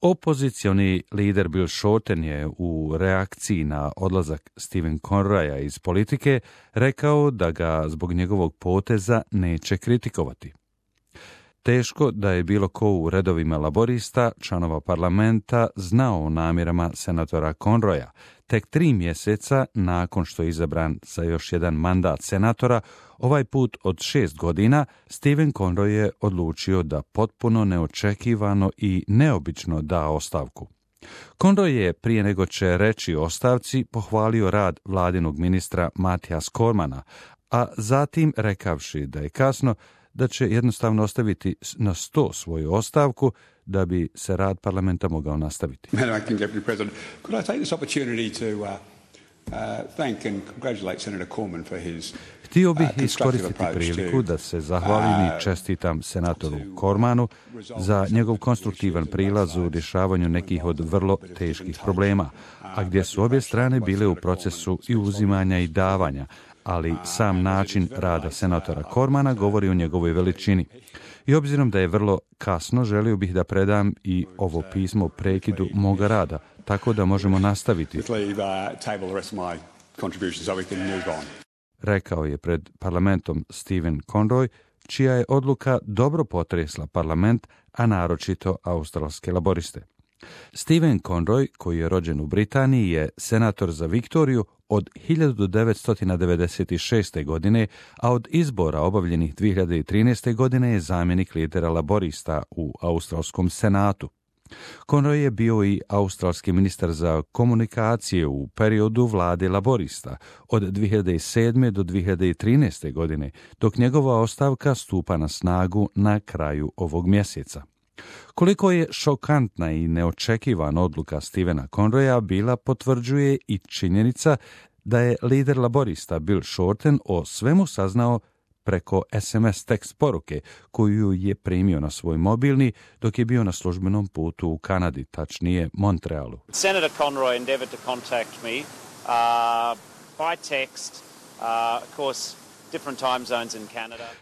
Opozicioni lider Bill Shorten je u reakciji na odlazak Stephen Conroya iz politike rekao da ga zbog njegovog poteza neće kritikovati. Teško da je bilo ko u redovima laborista, članova parlamenta, znao o namjerama senatora Conroya. Tek 3 mjeseca nakon što je izabran za još jedan mandat senatora, ovaj put od 6 godina, Stephen Conroy je odlučio da potpuno neočekivano i neobično da ostavku. Conroy je prije nego će reći o ostavci pohvalio rad vladinog ministra Matija Cormana, a zatim rekavši da je kasno, da će jednostavno ostaviti na sto svoju ostavku da bi se rad parlamenta mogao nastaviti. Madam Acting Deputy President, could I take this opportunity to thank and congratulate Senator Cormann for his Htio bih iskoristiti priliku da se zahvalim i čestitam senatoru Cormanu za njegov konstruktivan prilaz u rješavanju nekih od vrlo teških problema, a gdje su obje strane bile u procesu i uzimanja i davanja, ali sam način rada senatora Cormana govori o njegovoj veličini. I obzirom da je vrlo kasno, želio bih da predam i ovo pismo prekidu moga rada, tako da možemo nastaviti. Rekao je pred parlamentom Stephen Conroy, čija je odluka dobro potresla parlament, a naročito australske laboriste. Stephen Conroy, koji je rođen u Britaniji, je senator za Viktoriju od 1996. godine, a od izbora obavljenih 2013. godine je zamjenik lidera laborista u australskom senatu. Conroy je bio i australski ministar za komunikacije u periodu vlade laborista od 2007. do 2013. godine, dok njegova ostavka stupa na snagu na kraju ovog mjeseca. Koliko je šokantna i neočekivana odluka Stephena Conroya bila, potvrđuje i činjenica da je lider laborista Bill Shorten o svemu saznao preko SMS tekst poruke koju je primio na svoj mobilni dok je bio na službenom putu u Kanadi, tačnije Montrealu. Senator Conroy endeavored to contact me by text, of course.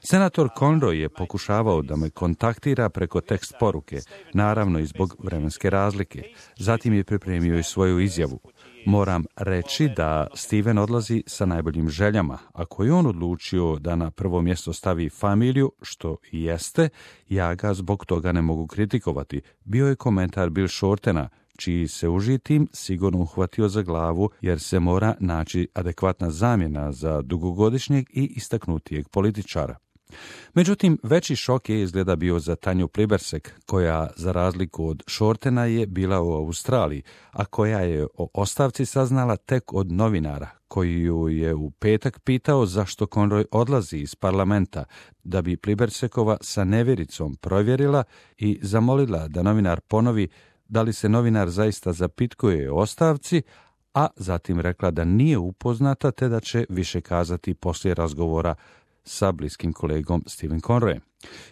Senator Conroy je pokušavao da me kontaktira preko tekst poruke, naravno i zbog vremenske razlike. Zatim je pripremio i svoju izjavu. Moram reći da Steven odlazi sa najboljim željama. Ako je on odlučio da na prvo mjesto stavi familiju, što i jeste, ja ga zbog toga ne mogu kritikovati. Bio je komentar Bill Shortena, čiji se uži tim sigurno uhvatio za glavu jer se mora naći adekvatna zamjena za dugogodišnjeg i istaknutijeg političara. Međutim, veći šok je izgleda bio za Tanju Plibersek, koja za razliku od Shortena je bila u Australiji, a koja je o ostavci saznala tek od novinara, koji ju je u petak pitao zašto Conroy odlazi iz parlamenta, da bi Plibersekova sa nevjericom provjerila i zamolila da novinar ponovi da li se novinar zaista zapitkuje o ostavci, a zatim rekla da nije upoznata te da će više kazati poslije razgovora sa bliskim kolegom Stephen Conroyem.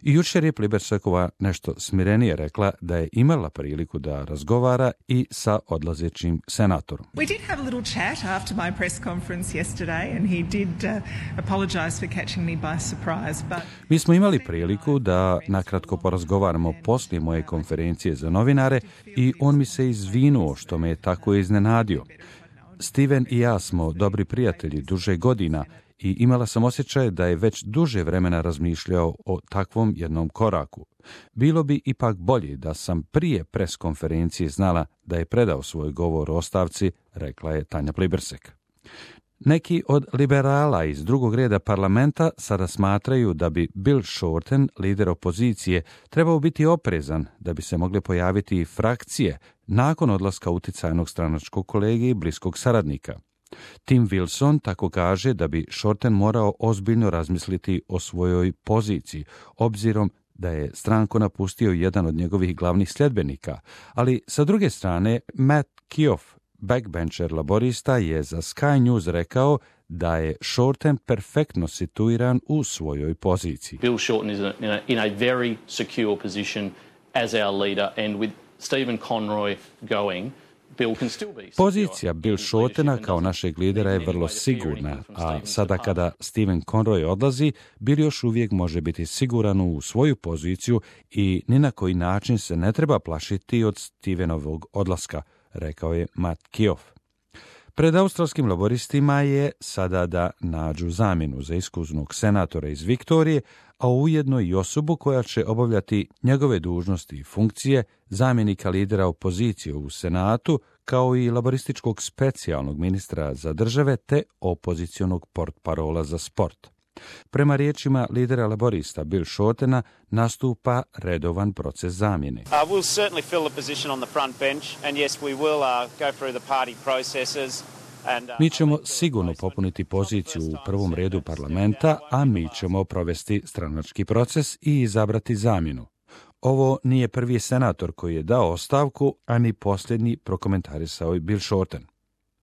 I jučer je Plibersekova nešto smirenije rekla da je imala priliku da razgovara i sa odlazećim senatorom. We did have a little chat after my press conference yesterday and he did apologize for catching me by surprise. Mi smo imali priliku da nakratko porazgovaramo poslije moje konferencije za novinare i on mi se izvinuo što me je tako iznenadio. Steven i ja smo dobri prijatelji duže godina i imala sam osjećaj da je već duže vremena razmišljao o takvom jednom koraku. Bilo bi ipak bolje da sam prije pres konferencije znala da je predao svoj govor o ostavci, rekla je Tanja Plibersek. Neki od liberala iz drugog reda parlamenta sada smatraju da bi Bill Shorten, lider opozicije, trebao biti oprezan da bi se mogle pojaviti frakcije nakon odlaska uticajnog stranačkog kolege i bliskog saradnika. Tim Wilson tako kaže da bi Shorten morao ozbiljno razmisliti o svojoj poziciji, obzirom da je stranku napustio jedan od njegovih glavnih sljedbenika, ali sa druge strane Matt Keough, backbencher laborista, je za Sky News rekao da je Shorten perfektno situiran u svojoj poziciji. Bill Shorten is in a very secure position as our leader, and with Stephen Conroy going, Pozicija Bill Shortena kao našeg lidera je vrlo sigurna, a sada kada Stephen Conroy odlazi, Bill još uvijek može biti siguran u svoju poziciju i ni na koji način se ne treba plašiti od Stevenovog odlaska, rekao je Matt Keough. Pred australskim laboristima je sada da nađu zamjenu za iskusnog senatora iz Viktorije, a ujedno i osobu koja će obavljati njegove dužnosti i funkcije zamjenika lidera opozicije u Senatu, kao i laborističkog specijalnog ministra za države te opozicionog portparola za sport. Prema riječima lidera laborista Bill Shortena nastupa redovan proces zamjene. We'll certainly fill the position on the front bench and yes we will go through the party processes. Mi ćemo sigurno popuniti poziciju u prvom redu parlamenta, a mi ćemo provesti stranački proces i izabrati zamjenu. Ovo nije prvi senator koji je dao ostavku, a ni posljednji, prokomentarisao je Bill Shorten.